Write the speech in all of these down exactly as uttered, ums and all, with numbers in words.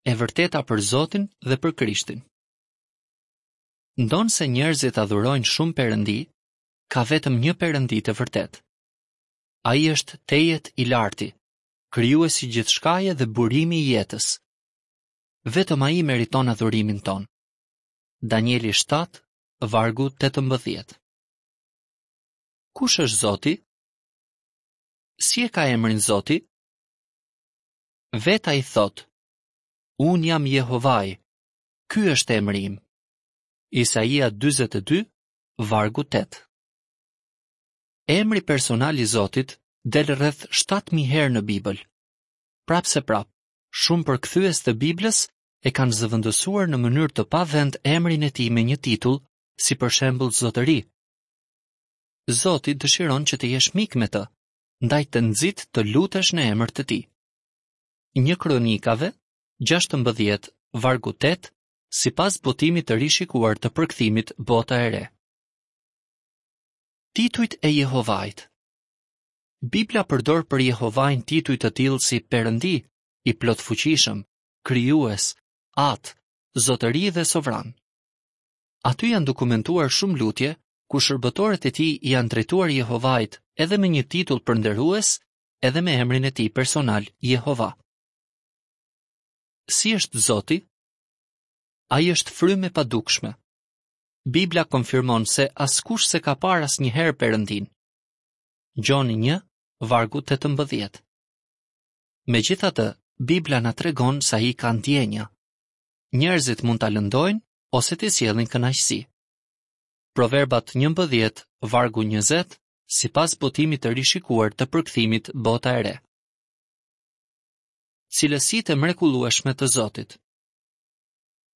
E vërteta për Zotin dhe për Krishtin. Ndonëse njerëzit adhurojnë shumë perëndi, ka vetëm një perëndi të vërtetë. Ai është tejet i larti, krijuesi i gjithçkaje dhe burimi i jetës. Vetëm ai meriton adhurimin tonë. Danieli shtatë, vargu tetëmbëdhjetë. Kush është Zoti? Si e ka emrin Zoti? Vetë ai thotë: Unë jam Jehovai, ky është emri im. Isaia dyzet e dy, vargu tetë. Emri personal i Zotit del rreth shtatë mijë herë në Bibël. Prapëseprapë, shumë përkthyes të Biblës e kanë zëvendësuar në mënyrë të pavend emrin e tij me një titull, si për shembull Zotëri. Zoti dëshiron që të jesh mik me të, ndaj të nxit të lutesh në emër të tij. Një Kronikave, gjashtëmbëdhjetë, vargu tetë, sipas botimit të rishikuar të përkthimit Bota e Re. Titujt e Jehovait. Bibla përdor për Jehovain tituj të tillë si Perëndi, i plotfuqishëm, krijues, Atë, Zotëri dhe Sovran. Aty janë dokumentuar shumë lutje ku shërbëtorët e tij i janë drejtuar Jehovait edhe me një titull përnderues, edhe me emrin e tij personal Jehova. Si është Zoti? Ai është frymë e padukshme. Bibla konfirmon se askush s'e ka parë asnjëherë Perëndin. Gjoni një, vargu tetëmbëdhjetë. Megjithatë, Bibla na tregon se ai ka ndjenja. Njerëzit mund ta lëndojnë ose t'i sjellin kënaqësi. Proverbat njëmbëdhjetë, vargu njëzet, sipas botimit të rishikuar të përkthimit Bota e Re. Cilësitë e mrekullueshme të Zotit.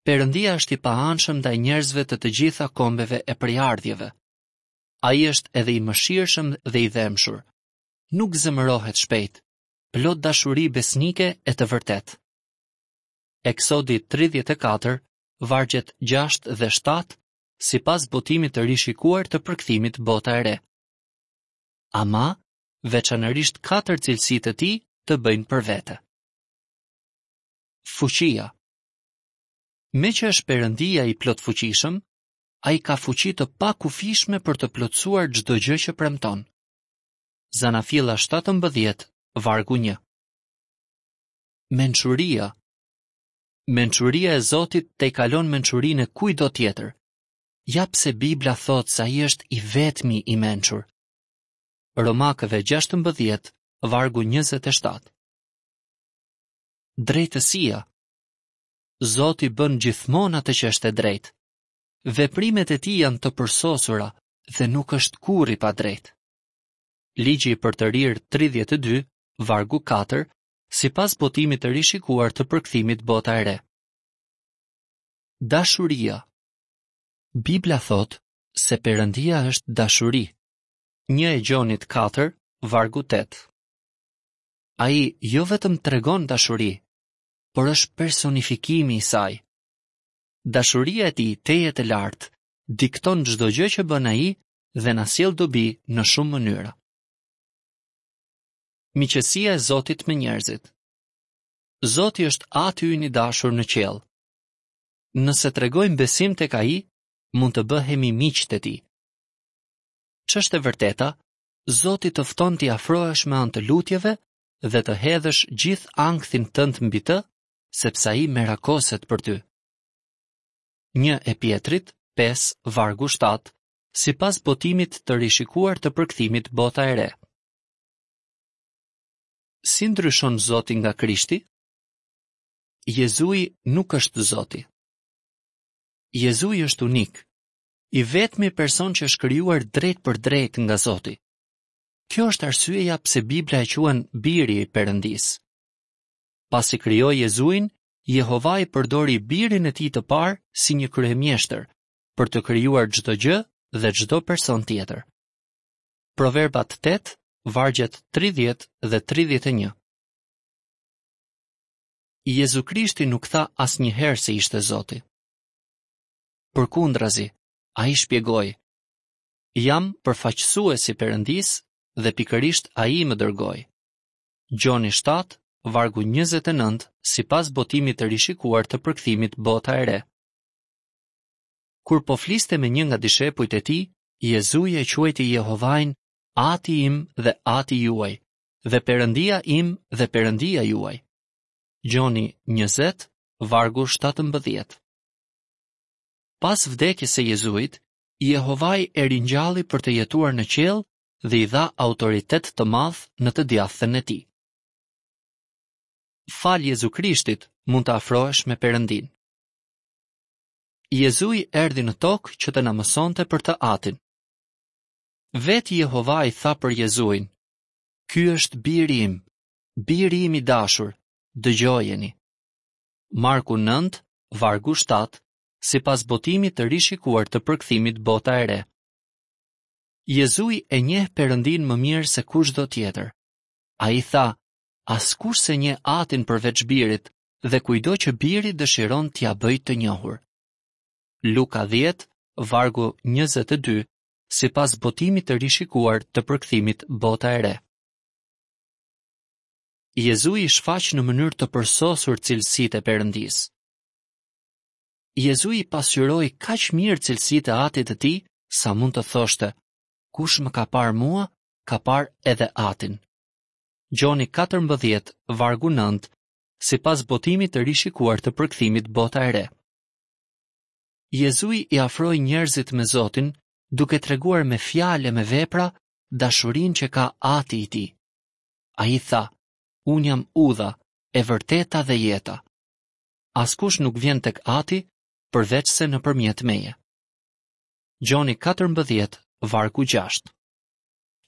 Perëndia është i paanshëm ndaj njerëzve të të gjitha kombeve e prejardhjeve. Ai është edhe i mëshirshëm dhe i dhembshur. Nuk zemërohet shpejt, plot dashuri besnike e të vërtetë. Eksodi tridhjetë e katër, vargjet gjashtë dhe shtatë, sipas botimit të rishikuar të përkthimit Bota e Re. Ama, veçanërisht katër cilësi të tij të bëjnë për vete. Fuqia. Meqë është Perëndia i plotfuqishëm, ai ka fuqi të pakufishme për të plotësuar çdo gjë që premton. Zanafilla shtatëmbëdhjetë, vargu një. Mençuria. Mençuria e Zotit tejkalon mençurinë e kujtdo tjetër. Ja pse Bibla thotë se ai është i vetmi i mençur. Romakëve gjashtëmbëdhjetë, vargu njëzet e shtatë. Drejtësia. Zoti bën gjithmonë atë që është e drejtë. Veprimet e tij janë të përsosura dhe nuk është kurrë i padrejtë. Ligji i përtërirë tridhjetë e dy, vargu katër, sipas botimit të rishikuar të përkthimit Bota e Re. Dashuria. Bibla thotë se Perëndia është dashuri. Një e Gjonit katër, vargu tetë. Ai jo vetëm tregon dashuri, por është personifikimi i saj. Dashuria e tij tejet e lartë dikton çdo gjë që bën ai dhe na sjell dobi në shumë mënyra. Miqësia e Zotit me njerëzit. Zoti është Ati ynë i dashur në qiell. Nëse tregojmë besim tek ai, mund të bëhemi miqtë e tij. Ç'është e vërteta, Zoti të fton t'i afrohesh me anë të lutjeve dhe të hedhësh gjithë ankthin tënd mbi të, sepse ai merakoset për ty. Një e Pjetrit, pesë, vargu shtatë, sipas botimit të rishikuar të përkthimit Bota e Re. Si ndryshon Zoti nga Krishti? Jezui nuk është Zoti. Jezui është unik, i vetmi person që është krijuar drejt për drejt nga Zoti. Kjo është arsyeja pse Bibla e quan biri i Perëndisë. Pasi krijoi Jezuin, Jehovai përdori birin e tij të parë si një kryemjeshtër për të krijuar çdo gjë dhe çdo person tjetër. Proverbat tetë, vargjet tridhjetë dhe tridhjetë e një. Jezu Krishti nuk tha asnjëherë se ishte Zoti. Përkundrazi, ai shpjegoi: Jam përfaqësues i Perëndisë dhe pikërisht ai më dërgoi. Gjoni shtatë, vargu njëzet e nëntë, sipas botimit të rishikuar të përkthimit Bota e Re. Kur po fliste me një nga dishepujt e tij, Jezui e quajti Jehovain Ati im dhe Ati juaj, dhe Perëndia im dhe Perëndia juaj. Gjoni njëzet, vargu shtatëmbëdhjetë. Pas vdekjes së Jezuit, Jehovai e ringjalli për të jetuar në qiell dhe i dha autoritet të madh në të djathtën e tij. Falë Jezu Krishtit mund të afrohesh me Perëndinë. Jezui erdhi në tokë që të na mësonte për të Atin. Vetë Jehovai tha për Jezuin: Ky është biri im, biri im i dashur, dëgjojeni. Marku nëntë, vargu shtatë, sipas botimit të rishikuar të përkthimit Bota e Re. Jezui e njeh Perëndinë më mirë se kushdo tjetër. Ai tha: Askush s'e njeh Atin përveç birit dhe kujdo që biri dëshiron t'ia bëjë të njohur. Luka dhjetë, vargu njëzet e dy, sipas botimit të rishikuar të përkthimit Bota e Re. Jezui shfaq në mënyrë të përsosur cilësitë e Perëndisë. Jezui pasqyroi kaq mirë cilësitë e Atit të tij sa mund të thoshte: Kush më ka parë mua, ka parë edhe Atin. Gjoni katërmbëdhjetë, vargu nëntë, sipas botimit të rishikuar të përkthimit Bota e Re. Jezui i afroi njerëzit me Zotin, duke treguar me fjalë e me vepra dashurinë që ka Ati i tij. Ai tha: Unë jam udha, e vërteta dhe jeta. Askush nuk vjen tek Ati përveç se nëpërmjet meje. Gjoni katërmbëdhjetë, vargu gjashtë.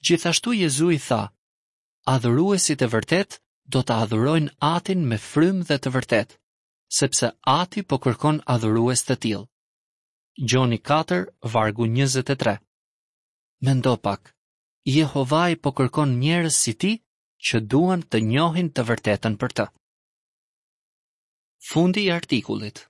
Gjithashtu Jezui tha: Adhuruesit e vërtetë do të adhurojnë Atin me frymë dhe të vërtetë, sepse Ati po kërkon adhurues të tillë. Gjoni katër, vargu njëzet e tre. Mendo pak, Jehovai po kërkon njerëz si ti që duan të njohin të vërtetën për të. Fundi i artikullit.